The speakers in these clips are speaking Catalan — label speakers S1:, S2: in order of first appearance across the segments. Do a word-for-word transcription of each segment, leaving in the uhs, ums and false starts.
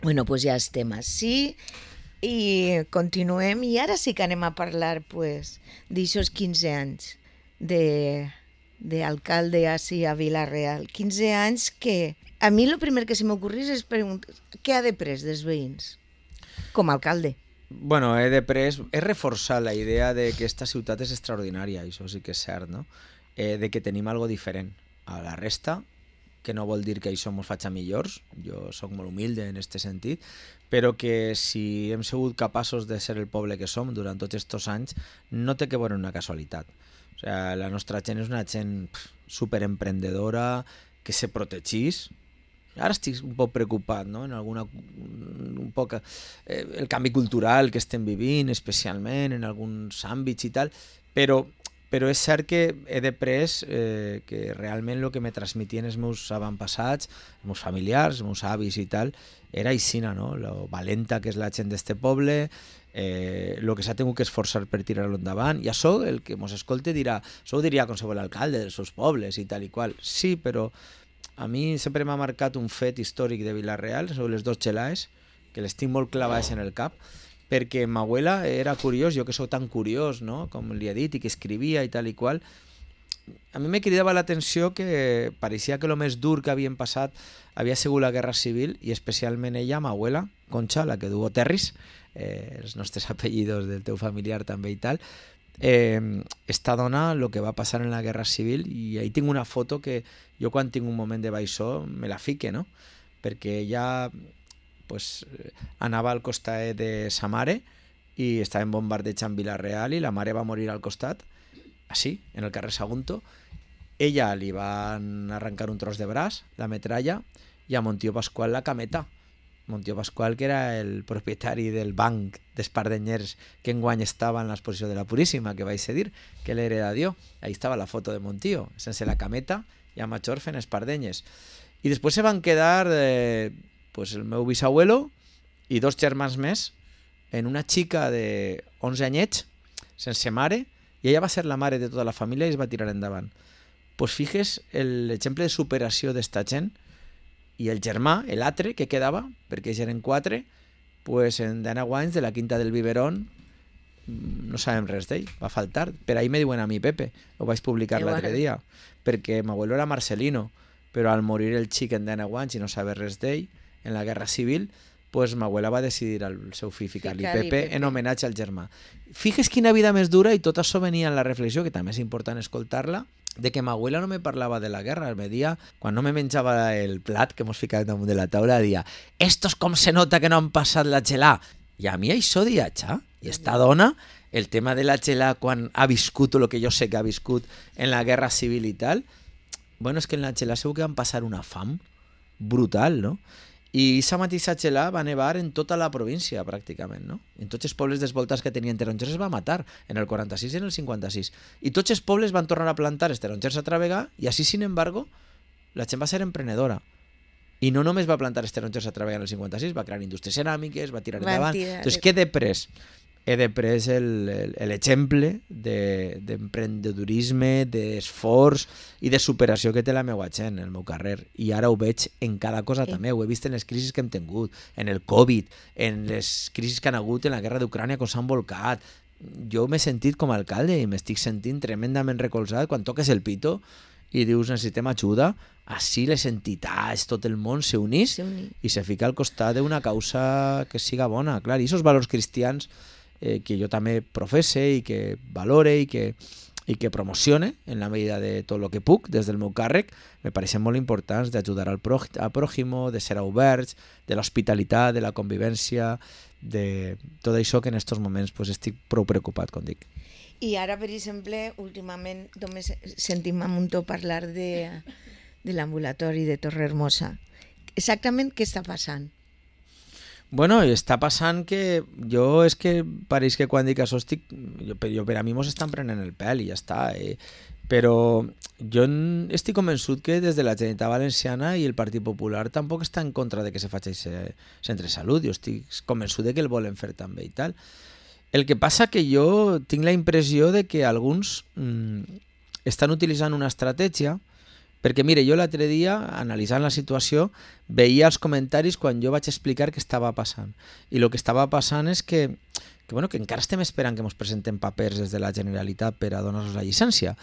S1: Bueno, doncs ja estem així i continuem. I ara sí que anem a parlar pues, d'aixòs quinze anys de d'alcalde així a Vila-real. quinze anys que a mi el primer que se m'ocorrís és preguntar què ha de pres dels veïns com a alcalde.
S2: Bueno, he de pres, he reforçat la idea de que esta ciutat és extraordinària, això sí que és cert, no? Eh, de que tenim algo diferent a la resta, que no vol dir que això mos faci millors, jo sóc molt humilde en aquest sentit, però que si hem sigut capaços de ser el poble que som durant tots aquests anys, no té que veure una casualitat. O sea, la nostra gent és una gent superemprendedora, que se protegís. Ara estic un poc preocupat, no? En alguna, un poc, eh, el canvi cultural que estem vivint, especialment en alguns àmbits i tal, però, però és cert que he de pres eh, que realment el que me transmitien els meus avantpassats, els meus familiars, els meus avis i tal, era aixina, no? Lo valenta que és la gent d'este poble, eh, el que s'ha tingut que esforçar per tirar-lo endavant, i això el que mos escolte dirà, això ho diria qualsevol alcalde dels seus pobles i tal i qual, sí, però a mi sempre m'ha marcat un fet històric de Vila-real sobre les dos xelaes, que les tinc molt clavades en el cap, perquè ma abuela era curiós, jo que sóc tan curiós, no? Com li he dit, i que escrivia i tal i qual, a mi me cridava l'atenció que pareixia que el més dur que havien passat havia sigut la Guerra Civil, i especialment ella, ma abuela, Concha, la que du Terris, eh, els nostres apellidos del teu familiar també i tal, eh, esta dona el que va passar en la Guerra Civil, i ahí tinc una foto que jo quan tinc un moment de baixó me la fique, no? Perquè ella pues, anava al costat de sa mare i estava en bombardeig en Vila-real i la mare va morir al costat, així, en el carrer Sagunto. Ella li van arrencar un tros de braç, la metralla, i a Montió Pasqual la cameta. Montió Pasqual, que era el propietari del banc d'Espardenyers que enguany estava en l'exposició de la Puríssima, que vaig dir que l'hereda dio. Ahí estava la foto de Montió, sense la cameta i a Major fent espardenyes. I després se van quedar eh, pues el meu bisabuelo i dos germans més en una xica de onze anyets, sense mare, i ella va ser la mare de tota la família i es va tirar endavant. Pues fijes l'exemple de superació d'esta gent, i el germà, l'altre que quedava, perquè ells eren quatre, pues en Diana Wines de la Quinta del Biberón no sabem res d'ell, va faltar. Per ahí me diuen a mi Pepe, ho vaig publicar l'altre dia, perquè m'abuelo era Marcelino, però al morir el xic en Diana Wines i no saber res d'ell, en la Guerra Civil, pues m'abuela va decidir al seu fill ficar-li Pepe, Pepe en homenatge al germà. Fixes quina vida més dura, i tot això venia en la reflexió, que també és important escoltar-la, de que ma abuela no me parlava de la guerra, me dia, quan no me menjava el plat que mos ficava damunt de la taula, dia, estos com se nota que no han passat la gelà. I a mi això dia, xa, i esta dona, el tema de la gelà quan ha viscut el que jo sé que ha viscut en la guerra civil i tal, bueno, és que en la gelà segur que van passar una fam brutal, no? I aquesta mateixa gelà va nevar en tota la província, pràcticament, no? En tots els pobles dels voltants que tenien tarongers es va matar, en el quaranta-sis i en el cinquanta-sis. I tots els pobles van tornar a plantar els tarongers a travegar, i així, sin embargo, la gent va ser emprenedora. I no només va plantar els tarongers a travegar en el cinquanta-sis, va crear indústries ceràmiques, va tirar endavant. Entonces, què he de pres? He de pres l'exemple d'emprendedorisme, d'esforç i de superació que té la meva gent, el meu carrer. I ara ho veig en cada cosa també. Ho he vist en les crisis que hem tingut, en el Covid, en les crisis que han hagut en la guerra d'Ucrània, quan s'han volcat. Jo m'he sentit com a alcalde i m'estic sentint tremendament recolzat quan toques el pito i dius necessitem ajuda. Així les entitats, tot el món s'unís i se fica al costat d'una causa que siga bona. Clar, i aquests valors cristians eh, que jo també professe i que valore i que, i que promocione en la medida de tot el que puc des del meu càrrec, me pareixen molt importants d'ajudar al, prò, al pròximo, de ser oberts, de l'hospitalitat, de la convivència, de tot això que en aquests moments pues, estic prou preocupat, com dic.
S1: I ara, per exemple, últimament només sentim a Muntó parlar de, de l'ambulatori de Torrehermosa. Exactament què està passant?
S2: Bueno, està passant que jo és que pareix que quan dic això estic... Jo, jo, per a mi mos estan prenent el pèl i ja està. Eh? Però jo estic convençut que des de la Generalitat Valenciana i el Partit Popular tampoc està en contra de que se faci aquest centre de salut. Jo estic convençut de que el volen fer també i tal. El que passa que jo tinc la impressió de que alguns mmm, estan utilitzant una estratègia Perquè, mire, jo l'altre dia, analitzant la situació, veia els comentaris quan jo vaig explicar què estava passant. I el que estava passant és que, que, bueno, que encara estem esperant que ens presenten papers des de la Generalitat per a donar-nos la llicència.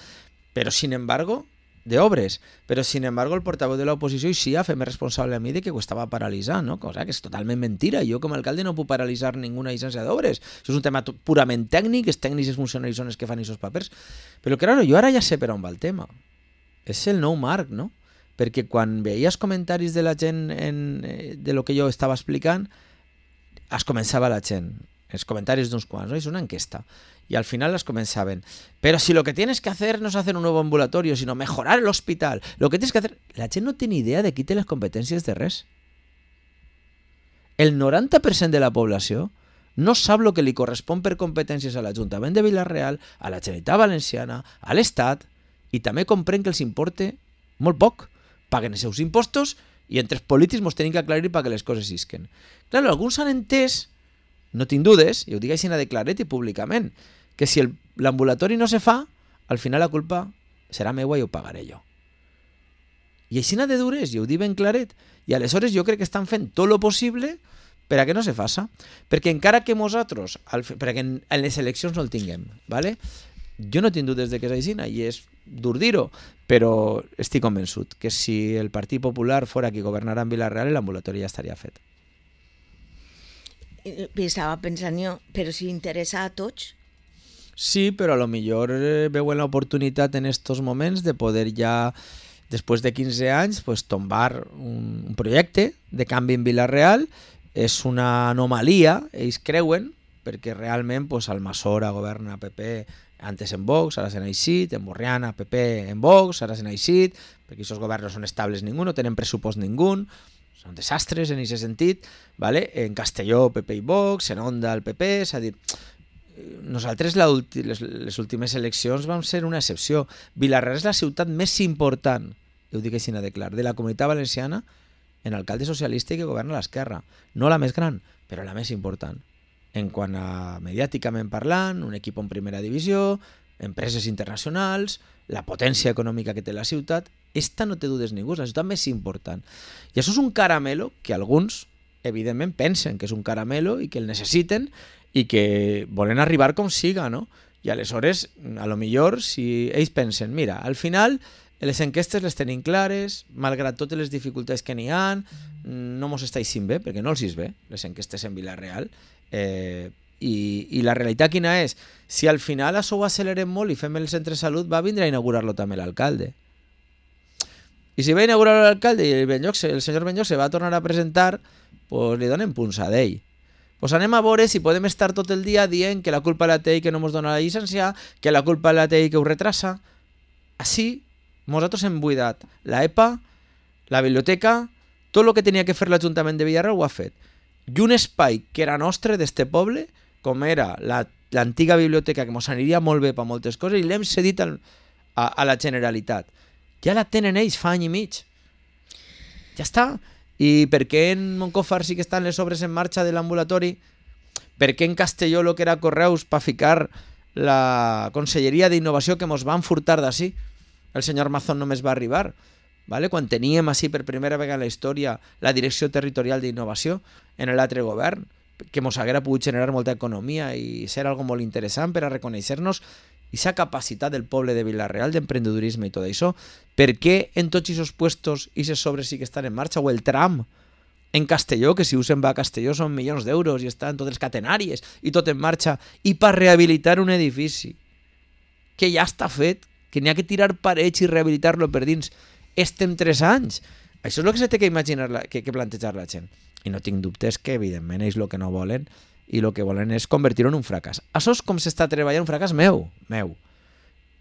S2: Però, sin embargo, de obres. Però, sin embargo, el portaveu de l'oposició i sí a fer-me responsable a mi de que ho estava paralitzant, no? Cosa que és totalment mentira. Jo, com a alcalde, no puc paralitzar ninguna llicència d'obres. Això és un tema purament tècnic, els tècnics i els funcionaris són els que fan aquests papers. Però, claro, jo ara ja sé per on va el tema. És el nou marc, no? Perquè quan veia els comentaris de la gent en, de lo que jo estava explicant, es començava la gent, els comentaris d'uns quants, no? És una enquesta. Y al final las comenzaban. Pero si lo que tienes que hacer no es hacer un nuevo ambulatorio, sino mejorar el hospital, lo que tienes que hacer... La gent no té ni idea de qui té les competències de res. El noranta per cent de la població no sap el que li correspon per competències a l'Ajuntament de Vila-real, a la Generalitat Valenciana, a l'Estat, i també comprèn que els importe molt poc. Paguen els seus impostos i entre els polítics ens tenim que aclarir perquè les coses isquen. Clar, alguns han entès, no tinc dudes, i ho dic així de claret i públicament, que si l'ambulatori no se fa, al final la culpa serà meua i ho pagaré jo. I així de dures, i ho dic ben claret, i aleshores jo crec que estan fent tot lo possible per a que no se faça. Perquè encara que nosaltres, perquè en les eleccions no el tinguem, ¿vale? Jo no tinc dubtes de que és així, i és dur dir-ho, però estic convençut que si el Partit Popular fora qui governara en Vila-real, l'ambulatori ja estaria fet.
S1: Estava pensant jo, però si interessa a tots...
S2: Sí, però a lo millor veuen l'oportunitat en estos moments de poder ja, després de quinze anys, pues, tombar un, un projecte de canvi en Vila-real. És una anomalia, ells creuen, perquè realment pues, Almassora governa P P antes en Vox, ara s'han eixit, en Borriana P P en Vox, ara s'han eixit, perquè aquests governs no són estables ningú, no tenen pressupost ningú, són desastres en aquest sentit, ¿vale? En Castelló P P i Vox, en Onda el P P, és a dir, nosaltres la ulti, les, les últimes eleccions vam ser una excepció. Vila-real és la ciutat més important, ho dic així de clar, de la Comunitat Valenciana en alcalde socialista i que governa l'esquerra. No la més gran, però la més important. En quant a mediàticament parlant, un equip en primera divisió, empreses internacionals, la potència econòmica que té la ciutat, esta no té dudes ningú, és la ciutat més important. I això és un caramelo que alguns, evidentment, pensen que és un caramelo i que el necessiten i que volen arribar com siga, no? I aleshores, a lo millor, si ells pensen, mira, al final les enquestes les tenim clares, malgrat totes les dificultats que n'hi ha, no mos està eixint bé, perquè no els és bé, les enquestes en Vila-real, eh, i, i la realitat quina és? Si al final això ho accelerem molt i fem el centre de salut, va vindre a inaugurar-lo també l'alcalde. I si va inaugurar l'alcalde i el, Benlloc, el senyor Benlloc se va tornar a presentar, pues li donen punça d'ell. Pues anem a veure si podem estar tot el dia dient que la culpa la té i que no ens dona la llicència, que la culpa la té i que ho retrasa. Així, nosaltres hem buidat la E P A, la biblioteca, tot el que tenia que fer l'Ajuntament de Vila-real ho ha fet. I un espai que era nostre d'este poble, com era l'antiga la, biblioteca, que ens aniria molt bé per moltes coses, i l'hem cedit al, a, a la Generalitat. Ja la tenen ells fa any i mig. Ja està. I per què en Moncofar sí que estan les obres en marxa de l'ambulatori? Per què en Castelló el que era Correus per ficar la Conselleria d'Innovació que ens van furtar d'ací? El senyor Mazón només va arribar, ¿vale? Quan teníem així per primera vegada en la història la Direcció Territorial d'Innovació en l'altre govern, que ens haguera pogut generar molta economia i ser algo molt interessant per a reconèixer-nos aquesta capacitat del poble de Vila-real d'emprendedorisme i tot això. Per què en tots aquests puestos i aquestes obres sí que estan en marxa? O el tram en Castelló, que si us en va a Castelló són milions d'euros i estan totes les catenàries i tot en marxa, i per rehabilitar un edifici que ja està fet, que n'hi ha que tirar parets i rehabilitar-lo per dins, estem tres anys. Això és el que s'ha de imaginar, la, que, que plantejar la gent. I no tinc dubtes que, evidentment, ells el que no volen i el que volen és convertir-ho en un fracàs. Això és com s'està treballant un fracàs meu, meu,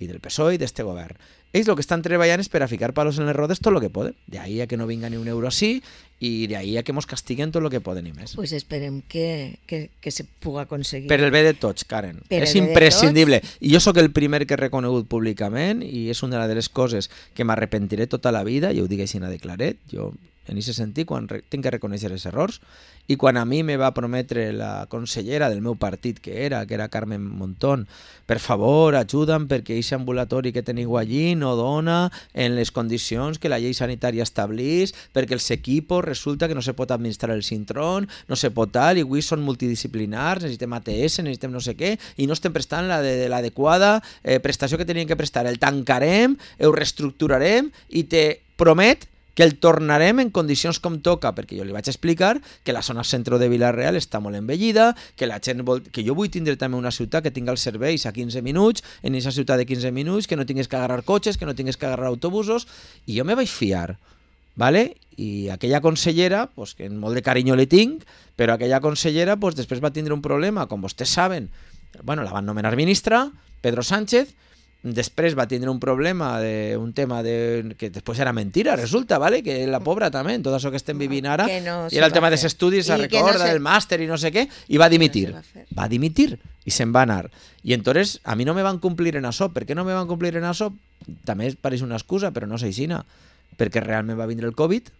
S2: i del P S O E i d'este govern. Ells el que estan treballant és per a ficar palos en les rodes tot el que poden. De ahí a que no vinga ni un euro així i de ahí a que mos castiguen tot el que poden i més.
S1: Pues esperem que, que, que se pugui aconseguir.
S2: Per el bé de tots, Karen. Per és imprescindible. I jo sóc el primer que he reconegut públicament i és una de les coses que m'arrepentiré tota la vida, i ho dic així de claret. Jo en aquest sentit, quan re tinc que reconèixer els errors, i quan a mi me va prometre la consellera del meu partit que era, que era Carmen Montón, per favor, ajuda'm perquè aquest ambulatori que teniu allí no dona en les condicions que la llei sanitària establís, perquè els equipos resulta que no se pot administrar el cintrón, no se pot tal, i avui són multidisciplinars, necessitem A T S, necessitem no sé què, i no estem prestant l'adequada eh, prestació que tenien que prestar. El tancarem, ho reestructurarem i te promet que el tornarem en condicions com toca, perquè jo li vaig explicar que la zona centre de Vila-real està molt envellida, que la gent vol... que jo vull tindre també una ciutat que tinga els serveis a quinze minuts, en aquesta ciutat de quinze minuts, que no tinguis que agarrar cotxes, que no tinguis que agarrar autobusos, i jo me vaig fiar, ¿vale? I aquella consellera, pues, que molt de carinyo li tinc, però aquella consellera pues, després va tindre un problema, com vostès saben, bueno, la van nomenar ministra, Pedro Sánchez. Després va tindre un problema de un tema de que després era mentira, resulta, ¿vale? Que la pobra també, en tot això que estem vivint ara, no i era el tema dels estudis, se recorda, no se... del màster i no sé què, i va dimitir. No va, va dimitir i se'n va anar. I entonces a mi no me van complir en això. Per què no me van complir en això? També pareix una excusa, però no s'aixina. Perquè realment va vindre el Covid.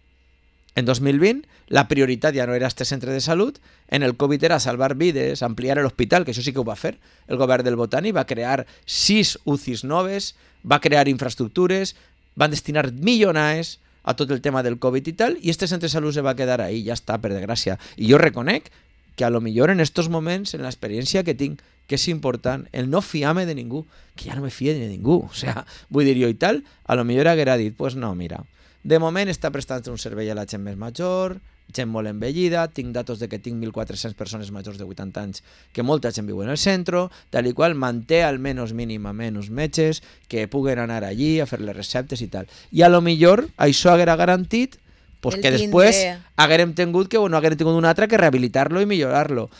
S2: En dos mil vint, la prioritat ja no era este centre de salut, en el Covid era salvar vides, ampliar l'hospital, que això sí que ho va fer el govern del Botànic, va crear sis U C Is noves, va crear infraestructures, van destinar milionars a tot el tema del Covid i tal, i este centre de salut se va quedar ahí, ja està, per desgràcia. I jo reconec que a lo millor en estos moments, en l'experiència que tinc, que és important, el no fiar-me de ningú, que ja no me fie de ningú, o sea, vull dir jo i tal, a lo millor haguera dit, pues no, mira, de moment està prestant un servei a la gent més major, gent molt envellida, tinc datos de que tinc mil quatre-cents persones majors de vuitanta anys, que molta gent viu en el centre, tal i qual manté almenys mínimament uns metges que puguen anar allí a fer les receptes i tal. I a lo millor això haguera garantit pues, que després haguérem tingut que, bueno, haguérem tingut un altre que rehabilitar-lo i millorar-lo.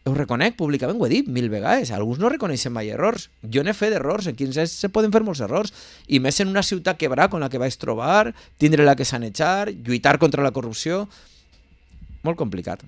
S2: Ho reconec públicament, ho he dit mil vegades, alguns no reconeixen mai errors, jo n'he fet errors, en quinze anys se poden fer molts errors, i més en una ciutat quebrada com la que vaig trobar, tindre-la que sanejar, lluitar contra la corrupció, molt complicat.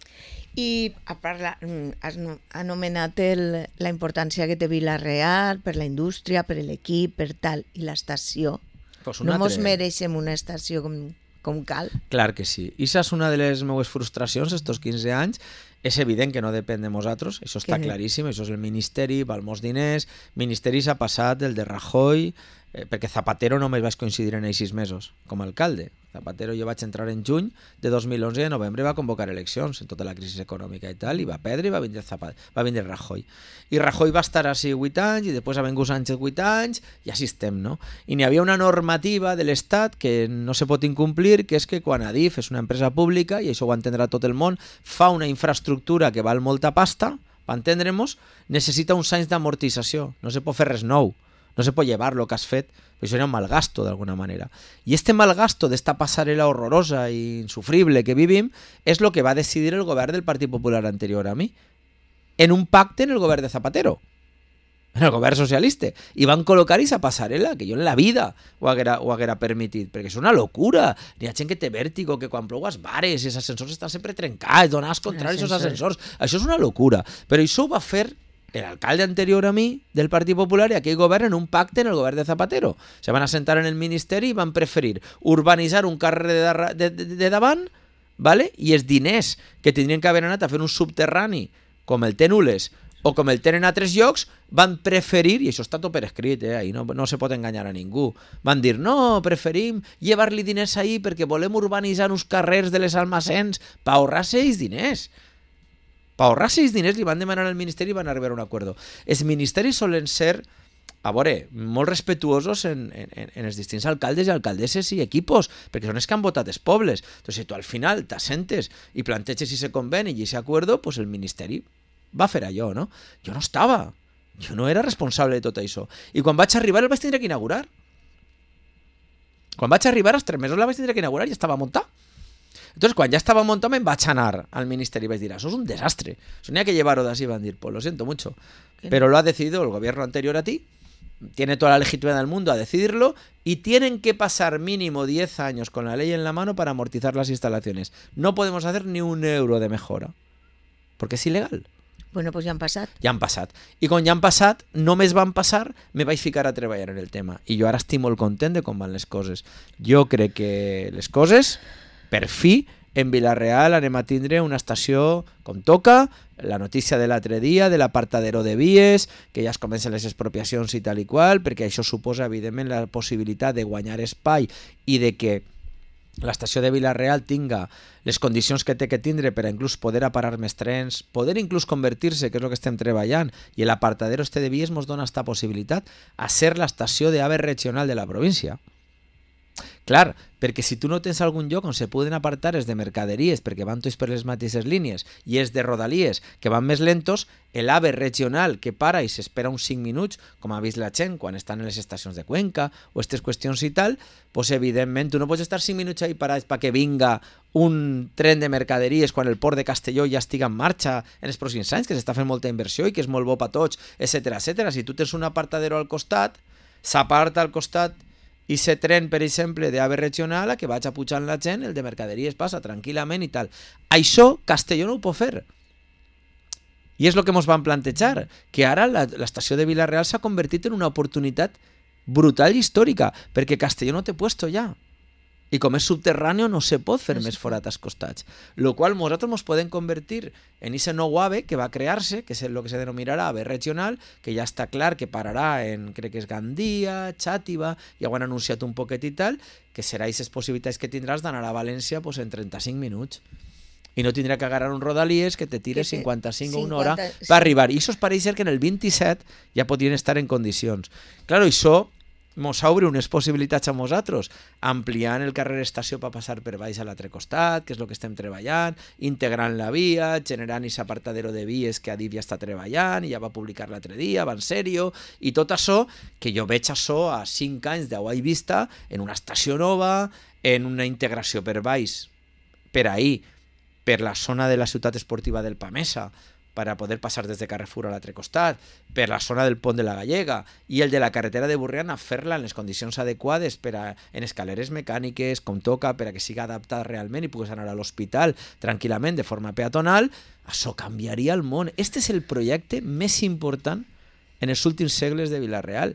S1: I a parla, has anomenat el, la importància que té Vila-real per la indústria, per l'equip, per tal, i l'estació. Pues no mos mereixem una estació com, com cal?
S2: Clar que sí. I això és una de les meves frustracions estos quinze anys. És evident que no depèn de nosaltres, això està que... claríssim, això és el Ministeri, val molts diners, Ministeri s'ha passat el de Rajoy, eh, perquè Zapatero només vaig coincidir en ells sis mesos, com a alcalde. Zapatero jo vaig entrar en juny de dos mil onze i en novembre va convocar eleccions en tota la crisi econòmica i tal, i va perdre i va vindre, Zapatero, va vindre Rajoy. I Rajoy va estar així vuit anys i després ha vingut Sánchez vuit anys i així estem, no? I n'hi havia una normativa de l'Estat que no se pot incomplir, que és que quan Adif és una empresa pública, i això ho entendrà tot el món, fa una infraestructura que val molta pasta, per entendre-nos, necessita uns anys d'amortització, no se pot fer res nou. No se pot llevar lo que has fet, però això era un malgasto d'alguna manera. I este malgasto d'esta passarel·la horrorosa i insufrible que vivim és el que va decidir el govern del Partit Popular anterior a mi, en un pacte en el govern de Zapatero, en el govern socialista, i van col·locar aquesta passarel·la, que jo en la vida ho haguera, ho haguera permitit, perquè és una locura. Hi ha gent que té vèrtigo, que quan plou es bares, els ascensors estan sempre trencats, donats contra els ascensors. Això és una locura, però això ho va fer l'alcalde anterior a mi del Partit Popular i aquell govern en un pacte en el govern de Zapatero. Se van assentar en el ministeri i van preferir urbanitzar un carrer de, de, de, de davant, ¿vale? I els diners que tindrien que haver anat a fer un subterrani com el té Nules o com el tenen a altres llocs, van preferir, i això està tot per escrit, eh? Ahí no, no se pot enganyar a ningú, van dir, no, preferim llevar-li diners ahí perquè volem urbanitzar uns carrers de les almacens per ahorrar-se els diners. Per ahorrar-se els diners li van demanar al Ministeri i van arribar a un acord. Els ministeris solen ser, a veure, molt respetuosos en, en, en els distints alcaldes i alcaldesses i equipos, perquè són els que han votat els pobles. Entonces, si tu al final t'assentes i planteges ese conveni i ese acuerdo, pues el Ministeri va fer allò, no? Jo no estava, jo no era responsable de tot això. I quan vaig arribar el vaig tindre que inaugurar. Quan vaig arribar, als tres mesos la vaig tindre que inaugurar i estava muntat. Entonces, quan ja estava muntat, me'n vaig anar al Ministeri i vaig dir, això és un desastre. Eso no hay que llevarlo de así, van dir, pues lo siento mucho. Pero lo ha decidido el gobierno anterior a ti, tiene toda la legitimidad del mundo a decidirlo y tienen que pasar mínimo diez años con la ley en la mano para amortizar las instalaciones. No podemos hacer ni un euro de mejora, porque és il·legal.
S1: Bueno, pues ja han passat.
S2: Ja han passat. I quan ja han passat, només van passar, me vaig ficar a treballar en el tema. I jo ara estic molt content de com van les coses. Jo crec que les coses per fi, en Vila-real anem a tindre una estació com toca, la notícia de l'altre dia, de l'apartadero de vies, que ja es comencen les expropiacions i tal i qual, perquè això suposa, evidentment, la possibilitat de guanyar espai i de que l'estació de Vila-real tinga les condicions que té que tindre per a inclús poder aparar més trens, poder inclús convertir-se, que és el que estem treballant, i l'apartadero este de vies ens dona esta possibilitat a ser l'estació d'AVE regional de la província. Clar, perquè si tu no tens algun lloc on se poden apartar els de mercaderies perquè van tots per les mateixes línies i els de rodalies que van més lentos, l'AVE regional que para i s'espera uns cinc minuts, com ha vist la gent quan estan en les estacions de Cuenca o aquestes qüestions i tal, doncs evidentment tu no pots estar cinc minuts ahí parats perquè vinga un tren de mercaderies quan el port de Castelló ja estiga en marxa en els pròxims anys, que s'està fent molta inversió i que és molt bo per tots, etcètera, etcètera. Si tu tens un apartadero al costat, s'aparta al costat i se tren, per exemple, d'AVE regional a que vaig a pujar la gent, el de mercaderies passa tranquil·lament i tal. Això Castelló no ho pot fer. I és el que ens van plantejar, que ara l'estació de Vila-real s'ha convertit en una oportunitat brutal i històrica, perquè Castelló no té puesto ja. I com és subterrani no se pot fer més forat als costats. Lo qual nosaltres ens podem convertir en aquest nou AVE que va crear-se, que és el que se denominarà AVE regional, que ja està clar que pararà en, crec que és Gandia, Xàtiva, ja ho han anunciat un poquet i tal, que serà aquestes possibilitats que tindràs d'anar a València pues, en trenta-cinc minuts. I no tindrà que agarrar un rodalies que te tire cinquanta-cinc o una hora per arribar. I això es pareix ser que en el vint-i-set ja podrien estar en condicions. Clar, això mos obre unes possibilitats a nosaltres, ampliant el carrer estació per passar per baix a l'altre costat, que és el que estem treballant, integrant la via, generant aquest apartadero de vies que Adif ja està treballant, i ja va publicar l'altre dia, va en sèrio, i tot això, que jo veig això a cinc anys d'Hawaii vista, en una estació nova, en una integració per baix, per ahir, per la zona de la ciutat esportiva del Pamesa, per a poder passar des de Carrefour a l'altre costat, per la zona del Pont de la Gallega, i el de la carretera de Burriana fer-la en les condicions adequades per a, en escaleres mecàniques, com toca, per a que siga adaptat realment i puguis anar a l'hospital tranquil·lament de forma peatonal. Això canviaria el món. Este és el projecte més important en els últims segles de Vila-real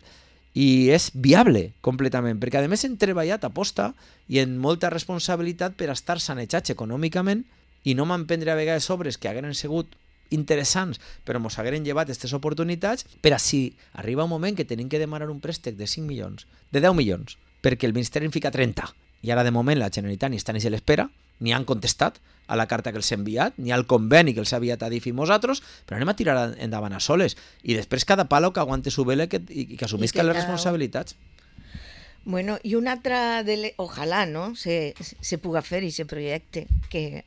S2: i és viable completament, perquè a més hem treballat a posta i en molta responsabilitat per estar sanejats econòmicament i no m'emprendre a vegades obres que hagueren sigut interessants, però ens hagueren llevat aquestes oportunitats per a si arriba un moment que tenim que demanar un préstec de cinc milions, de deu milions, perquè el Ministeri en fica trenta. I ara de moment la Generalitat ni està ni se l'espera, ni han contestat a la carta que els ha enviat, ni al conveni que els ha enviat a Adif i nosaltres, però anem a tirar endavant a soles. I després cada palo que aguante su vela que, i que assumisca les responsabilitats.
S1: Bueno, i una altra, de le... ojalà, no?, se, se puga fer aquest projecte que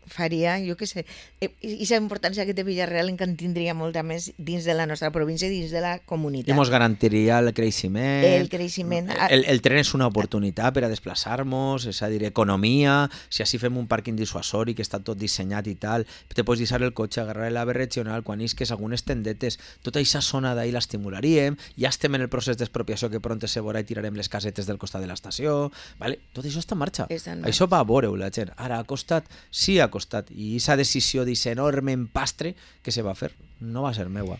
S1: faria, jo què sé, i la importància que té Vila-real encara tindria molta més dins de la nostra província i dins de la comunitat.
S2: I ens garantiria el creixement.
S1: El creixement.
S2: El, el tren és una oportunitat per a desplaçar-nos, és a dir, economia, si així fem un pàrquing dissuasori que està tot dissenyat i tal, te pots deixar el cotxe, agarrar l'AVE regional, quan isques algunes tendetes, tota aquesta zona d'ahir l'estimularíem, ja estem en el procés d'expropiació que pront se veurà i tirarem les casetes del costat de l'estació, vale? Tot això està en marxa. Està en marxa. Això va a veure-ho la gent. Ara ha costat, sí ha costat, i aquesta decisió d'aquest enorme empastre que se va fer no va ser meua.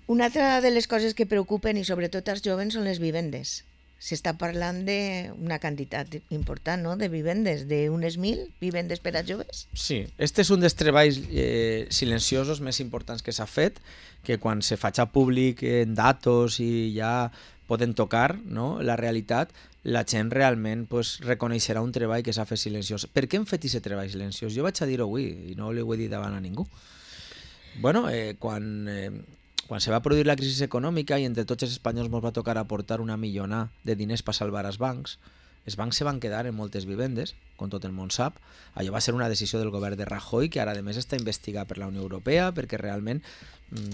S1: Una altra de les coses que preocupen i sobretot als jovens són les vivendes. S'està parlant d'una quantitat important, no?, de vivendes, d'unes mil vivendes per a joves.
S2: Sí, este és un dels treballs eh, silenciosos més importants que s'ha fet, que quan se faig públic en datos i ja poden tocar, no?, la realitat, la gent realment pues, reconeixerà un treball que s'ha fet silenciós. Per què hem fet aquest treball silenciós? Jo vaig a dir-ho avui i no ho he dit davant a ningú. Bueno, eh, quan, eh, quan se va produir la crisi econòmica i entre tots els espanyols ens va tocar aportar una milionà de diners per salvar els bancs, els bancs se van quedar en moltes vivendes, com tot el món sap. Allò va ser una decisió del govern de Rajoy, que ara a més està investigat per la Unió Europea, perquè realment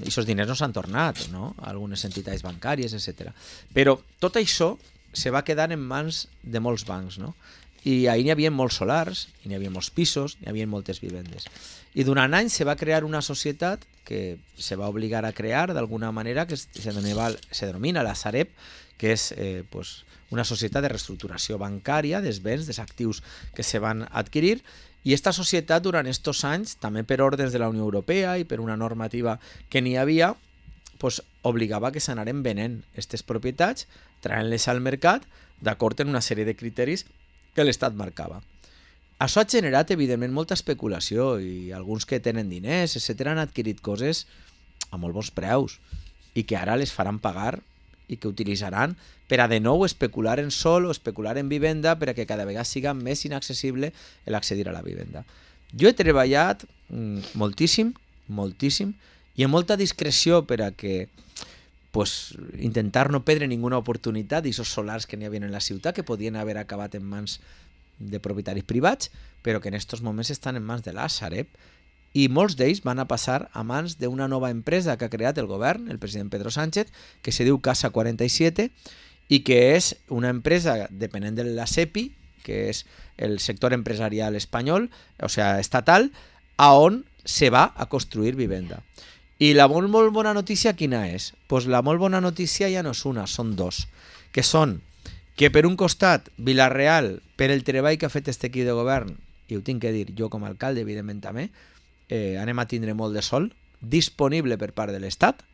S2: aquests diners no s'han tornat, no?, a algunes entitats bancàries, etcètera. Però tot això se va quedar en mans de molts bancs, no? I ahir n'hi havia molts solars, i n'hi havia molts pisos, n'hi havia moltes vivendes. I durant anys se va crear una societat que se va obligar a crear d'alguna manera, que se denomina, se denomina la Sareb, que és eh, pues, una societat de reestructuració bancària dels béns, dels actius que se van adquirir, i aquesta societat durant aquests anys, també per ordres de la Unió Europea i per una normativa que n'hi havia, pues, obligava que s'anaren venent aquestes propietats, traient-les al mercat d'acord amb una sèrie de criteris que l'Estat marcava. Això ha generat, evidentment, molta especulació i alguns que tenen diners, etcètera, han adquirit coses a molt bons preus i que ara les faran pagar i que utilitzaran per a de nou especular en sol o especular en vivenda per a que cada vegada siga més inaccessible l'accedir a la vivenda. Jo he treballat mm, moltíssim, moltíssim, i amb molta discreció per a que pues, intentar no perdre ninguna oportunitat d'aquests solars que n'hi havia en la ciutat, que podien haver acabat en mans de propietaris privats, però que en aquests moments estan en mans de la Sareb, i molts d'ells van a passar a mans d'una nova empresa que ha creat el govern, el president Pedro Sánchez, que se diu Casa quaranta-siete, i que és una empresa depenent de la SEPI, que és el sector empresarial espanyol, o sigui, estatal, a on se va a construir vivenda. I la molt, molt bona notícia quina és? Pues la molt bona notícia ja no és una, són dos, que són que per un costat Vila-real, per el treball que ha fet este equip de govern, i ho tinc que dir jo com a alcalde, evidentment també, eh, anem a tindre molt de sol disponible per part de l'Estat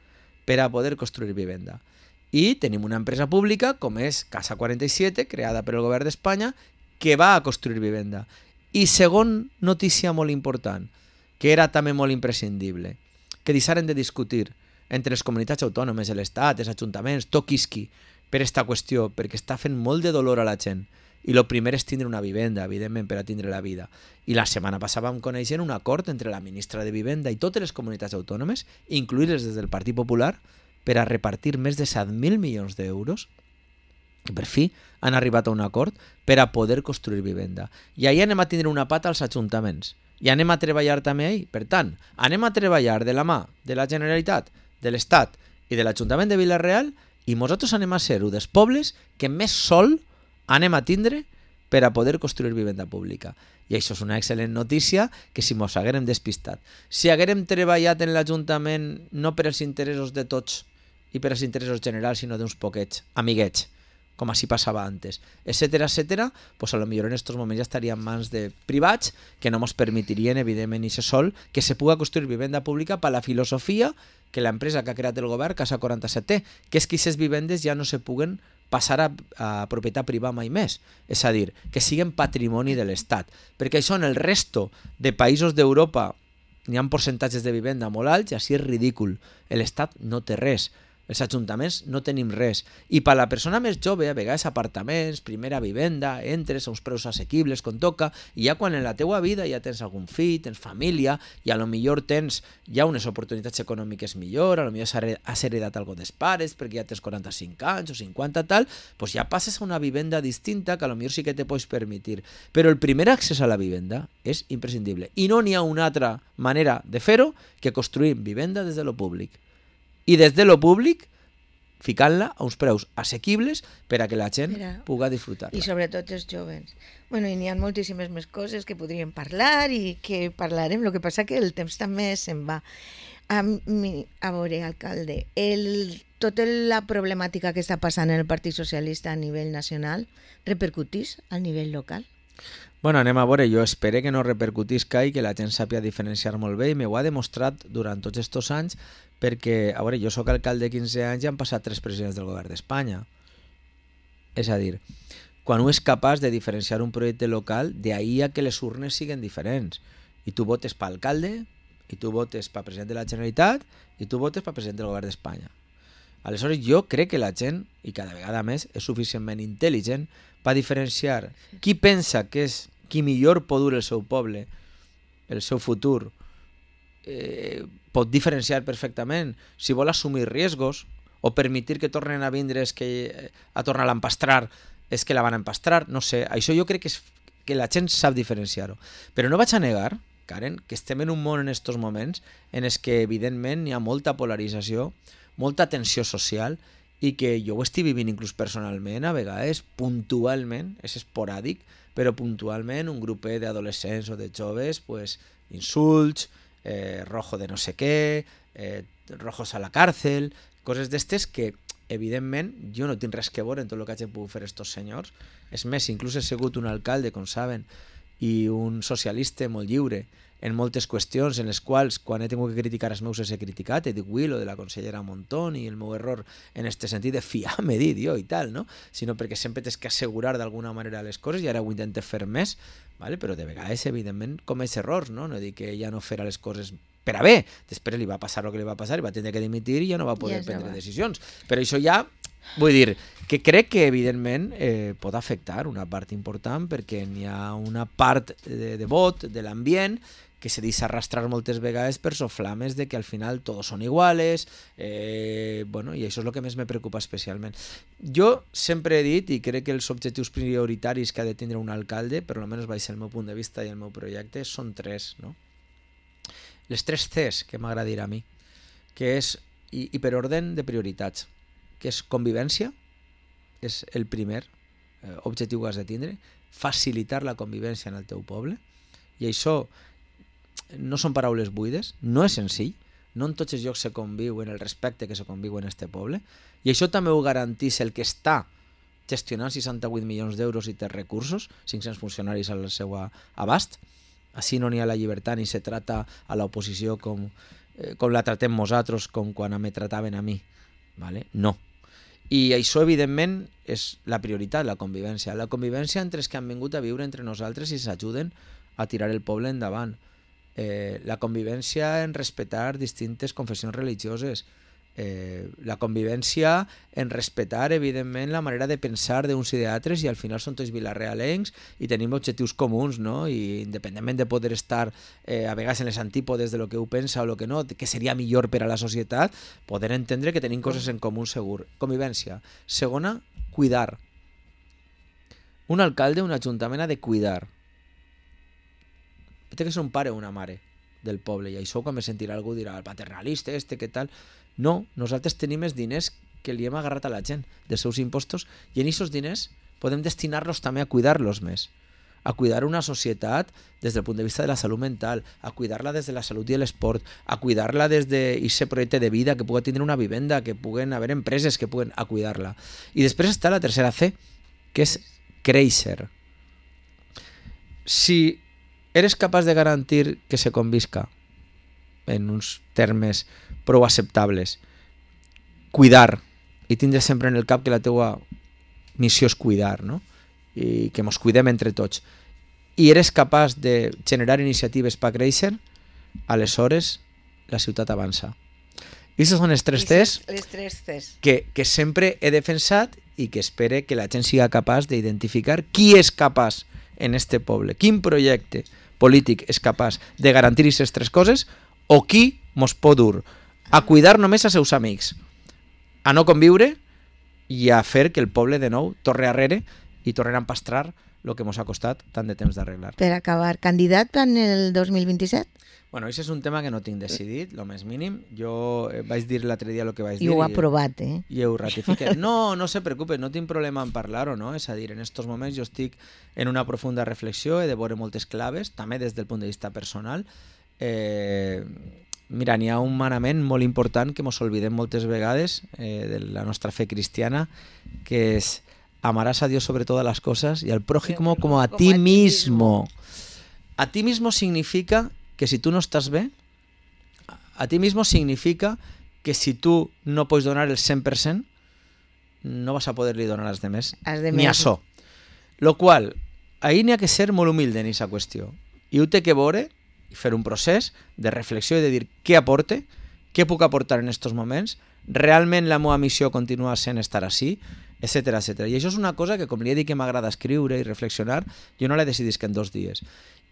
S2: per a poder construir vivenda. I tenim una empresa pública com és Casa quaranta-siete, creada per el govern d'Espanya, que va a construir vivenda. I segon notícia molt important, que era també molt imprescindible, que deixaren de discutir entre les comunitats autònomes, l'Estat, els ajuntaments, tot quisqui, per aquesta qüestió, perquè està fent molt de dolor a la gent. I el primer és tindre una vivenda, evidentment, per a tindre la vida. I la setmana passada vam conèixer un acord entre la ministra de Vivenda i totes les comunitats autònomes, incluir-les des del Partit Popular, per a repartir més de set mil milions d'euros. I per fi han arribat a un acord per a poder construir vivenda. I ahir anem a tindre una pata als ajuntaments. I anem a treballar també ahir. Per tant, anem a treballar de la mà de la Generalitat, de l'Estat i de l'Ajuntament de Vila-real, i nosaltres anem a ser un dels pobles que més sol anem a tindre per a poder construir vivenda pública. I això és una excel·lent notícia que si mos haguérem despistat. Si haguérem treballat en l'Ajuntament no per als interessos de tots i per als interessos generals, sinó d'uns poquets, amiguets, com així passava antes, etcètera, etcètera, pues a lo millor en aquests moments ja estaria en mans de privats que no ens permetirien, evidentment, i se sol, que se puga construir vivenda pública per la filosofia que l'empresa que ha creat el govern, Casa quaranta-siete, que és que aquestes vivendes ja no se puguen passar a, a propietat privada mai més. És a dir, que siguin patrimoni de l'Estat. Perquè això en el resto de països d'Europa n'hi ha percentatges de vivenda molt alts i així és ridícul. L'Estat no té res. Els ajuntaments no tenim res. I per a la persona més jove, a vegades apartaments, primera vivenda, entres a uns preus assequibles com toca, i ja quan en la teua vida ja tens algun fill, tens família, i a lo millor tens ja unes oportunitats econòmiques millor, a lo millor has heredat algo dels pares perquè ja tens quaranta-cinc anys o cinquanta tal, doncs ja passes a una vivenda distinta que a lo millor sí que te pots permetir. Però el primer accés a la vivenda és imprescindible. I no n'hi ha una altra manera de fer-ho que construir vivenda des de lo públic. I des de lo públic ficant-la a uns preus assequibles per a que la gent Mira, puga disfrutar-la.
S1: I sobretot els joves. Bueno, i n'hi ha moltíssimes més coses que podríem parlar i que parlarem, el que passa que el temps també se'n va. A, mi, a veure, alcalde, el, tota la problemàtica que està passant en el Partit Socialista a nivell nacional repercutís a nivell local?
S2: Bueno, anem a veure, jo espero que no repercutisca i que la gent sàpia diferenciar molt bé i m'ho ha demostrat durant tots aquests anys perquè, a veure, jo sóc alcalde de quinze anys i han passat tres presidents del govern d'Espanya. És a dir, quan un és capaç de diferenciar un projecte local, d'ahir a que les urnes siguin diferents. I tu votes per alcalde, i tu votes per president de la Generalitat, i tu votes per president del govern d'Espanya. Aleshores, jo crec que la gent, i cada vegada més, és suficientment intel·ligent per diferenciar qui pensa que és qui millor pot dur el seu poble, el seu futur, eh, pot diferenciar perfectament si vol assumir riesgos o permetir que tornen a vindre és que a tornar a empastrar és que la van a empastrar, no sé, això jo crec que, és, que la gent sap diferenciar-ho. Però no vaig a negar, Karen, que estem en un món en aquests moments en els que evidentment hi ha molta polarització, molta tensió social i que jo ho estic vivint inclús personalment, a vegades puntualment, és esporàdic, però puntualment un grupet d'adolescents o de joves, pues, insults, eh, rojo de no sé què, eh, rojos a la càrcel, coses d'estes que, evidentment, jo no tinc res que veure en tot el que hagin pogut fer estos senyors. És més, inclús he sigut un alcalde, com saben, i un socialista molt lliure en moltes qüestions en les quals, quan he tingut que criticar els meus, he criticat, he dit oui, lo de la consellera Montón i el meu error en este sentit de fiar-me, dit jo i tal, no? Sinó perquè sempre tens que assegurar d'alguna manera les coses i ara ho intento fer més, vale? Però de vegades, evidentment, comeix errors, no? No dic que ella no farà les coses per a bé, després li va passar el que li va passar i va tenir que dimitir i ja no va poder ja prendre va. decisions. Però això ja... Vull dir, que crec que evidentment eh, pot afectar una part important perquè n'hi ha una part de, de vot, de l'ambient, que se deixa arrastrar moltes vegades per soflames de que al final tots són iguales, eh, bueno, i això és el que més me preocupa especialment. Jo sempre he dit, i crec que els objectius prioritaris que ha de tindre un alcalde, per almenys baix el meu punt de vista i el meu projecte, són tres, no? Les tres Cs que m'agradaria a mi, que és, i, i per ordre de prioritats, que és convivència, és el primer eh, objectiu que has de tindre, facilitar la convivència en el teu poble, i això no són paraules buides, no és senzill, no en tots els llocs se conviu en el respecte que se conviu en este poble, i això també ho garantís el que està gestionant seixanta-vuit milions d'euros i té recursos, cinc-cents funcionaris al seu abast. Així no n'hi ha la llibertat ni se trata a l'oposició com, eh, com la tratem nosaltres, com quan me trataven a mi. Vale? No. I això, evidentment, és la prioritat, la convivència. La convivència entre els que han vingut a viure entre nosaltres i s'ajuden a tirar el poble endavant. Eh, la convivència en respectar distintes confessions religioses. Eh, la convivència en respectar, evidentment, la manera de pensar d'uns i d'altres, i al final són tots vilarealencs i tenim objectius comuns, no? I independentment de poder estar eh, a vegades en les antípodes de lo que ho pensa o lo que no, que seria millor per a la societat, poder entendre que tenim coses en comú segur. Convivència. Segona, cuidar. Un alcalde, un ajuntament ha de cuidar. Té que ser un pare o una mare del poble, i això quan me sentirà algú dirà el paternalista este, què tal. No, nosaltres tenim els diners que li hem agarrat a la gent dels seus impostos, i en aquests diners podem destinar-los també a cuidar-los més, a cuidar una societat des del punt de vista de la salut mental, a cuidar-la des de la salut i l'esport, a cuidar-la des d'aquest projecte de vida, que pugui tindre una vivenda, que puguen haver empreses que puguen a cuidar-la. I després està la tercera C, que és créixer. Si eres capaç de garantir que se convisca en uns termes prou acceptables, cuidar, i tindre sempre en el cap que la teua missió és cuidar, no? I que mos cuidem entre tots, i eres capaç de generar iniciatives per créixer, aleshores la ciutat avança. I aquestes són les tres Cs,
S1: les tres Cs.
S2: Que, que sempre he defensat i que espere que la gent siga capaç d'identificar qui és capaç en este poble, quin projecte polític és capaç de garantir aquestes tres coses, o qui mos pot dur a cuidar només als seus amics, a no conviure i a fer que el poble de nou torni arrere i torni a empastrar el que mos ha costat tant de temps d'arreglar.
S1: Per acabar, candidat en el dos mil vint-i-set?
S2: Bueno, això és un tema que no tinc decidit, el més mínim. Jo vaig dir l'altre dia el que vaig dir.
S1: I ho ha aprovat, eh?
S2: I ho ratifiqué. No, no se preocupe, no tinc problema en parlar-ho, no? És a dir, en aquests moments jo estic en una profunda reflexió, he de veure moltes claves, també des del punt de vista personal. Eh... Mira, n'hi ha un manament molt important que mos oblidem moltes vegades eh, de la nostra fe cristiana, que és amarás a Dios sobre todas las cosas y al prójimo como a ti mismo. A ti mismo significa que si tú no estás bé, a ti mismo significa que si tu no pots donar el cent per cent, no vas a poder-li donar als demés, ni a so. Lo qual, ahí n'hi ha que ser molt humilde en aquesta qüestió. I ho té que veure i fer un procés de reflexió i de dir què aporte, què puc aportar en aquests moments, realment la meva missió continua sent estar així, etcètera, etcètera. I això és una cosa que, com li he dit que m'agrada escriure i reflexionar, jo no la decidisc en dos dies.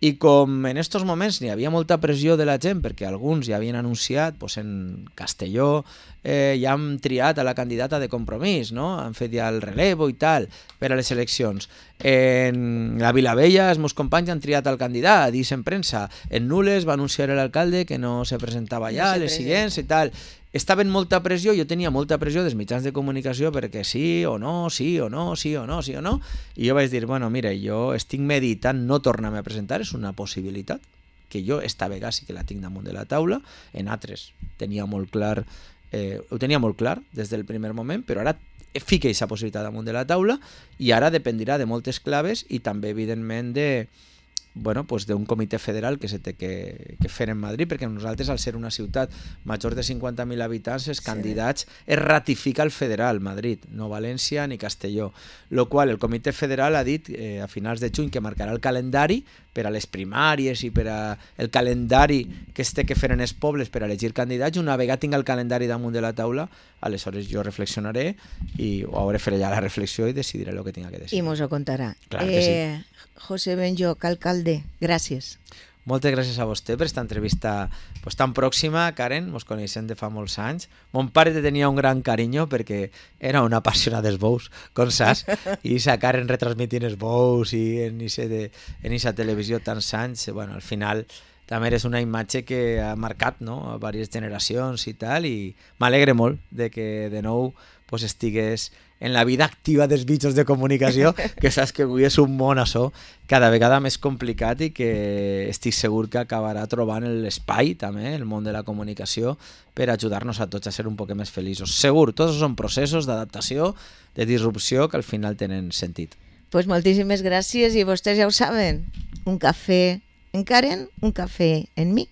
S2: I com en aquests moments n'hi havia molta pressió de la gent, perquè alguns ja havien anunciat, doncs en Castelló eh, ja han triat a la candidata de Compromís, no? Han fet ja el relevo i tal per a les eleccions. En la Vilavella els meus companys han triat el candidat, dins en premsa. En Nules va anunciar l'alcalde que no se presentava ja, no les siguients i tal. Estava en molta pressió, jo tenia molta pressió dels mitjans de comunicació perquè sí o no, sí o no, sí o no, sí o no, i jo vaig dir, bueno, mira, jo estic meditant no tornar-me a presentar, és una possibilitat, que jo esta vegada sí que la tinc damunt de la taula, en altres tenia molt clar, eh, ho tenia molt clar des del primer moment, però ara fica aquesta possibilitat damunt de la taula i ara dependirà de moltes claves i també, evidentment, de bueno, pues d'un comitè federal que se té que, que fer en Madrid, perquè nosaltres, al ser una ciutat major de cinquanta mil habitants, els sí. candidats es ratifica el federal, Madrid, no València ni Castelló, lo qual el comitè federal ha dit eh, a finals de juny que marcarà el calendari per a les primàries i per a el calendari que es té que fer en els pobles per a elegir candidats. Una vegada tinc el calendari damunt de la taula, aleshores jo reflexionaré i o hauré fet ja la reflexió i decidiré el que tinga que decidir.
S1: I mos ho contarà.
S2: Clar que sí.
S1: Eh, José Benlloch, alcalde, gràcies.
S2: Moltes gràcies a vostè per aquesta entrevista pues, tan pròxima, Karen, mos coneixem de fa molts anys. Mon pare te tenia un gran carinyo perquè era una apassionada dels bous, com saps, i sa Karen retransmitint els bous i en aquesta televisió tants anys, bueno, al final també és una imatge que ha marcat, no?, a diverses generacions i tal, i m'alegre molt de que de nou pues, estigués en la vida activa dels mitjans de comunicació, que saps que avui és un món açò cada vegada més complicat i que estic segur que acabarà trobant l'espai també, el món de la comunicació, per ajudar-nos a tots a ser un poc més feliços. Segur, tots són processos d'adaptació, de disrupció, que al final tenen sentit.
S1: Pues moltíssimes gràcies i vostès ja ho saben, un cafè en Karen, un cafè en mi.